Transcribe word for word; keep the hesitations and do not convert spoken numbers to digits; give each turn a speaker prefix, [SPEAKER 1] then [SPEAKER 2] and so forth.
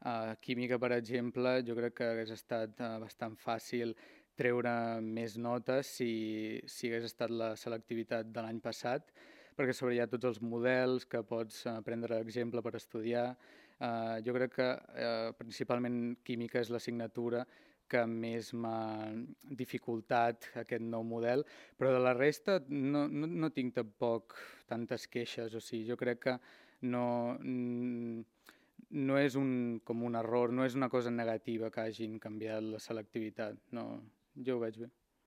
[SPEAKER 1] A química, per exemple, jo crec que hagués estat eh, bastant fàcil treure més notes si, si hagués estat la selectivitat de l'any passat, perquè a sobre hi ha tots els models que pots eh, prendre exemple per estudiar. Eh, jo crec que eh, principalment química és l'assignatura que més m'ha dificultat aquest nou model, però de la resta no, no, no tinc tampoc tantes queixes, o sigui, jo crec que no, no és un, com un error, no és una cosa negativa que hagin canviat la selectivitat, no, jo ho veig bé.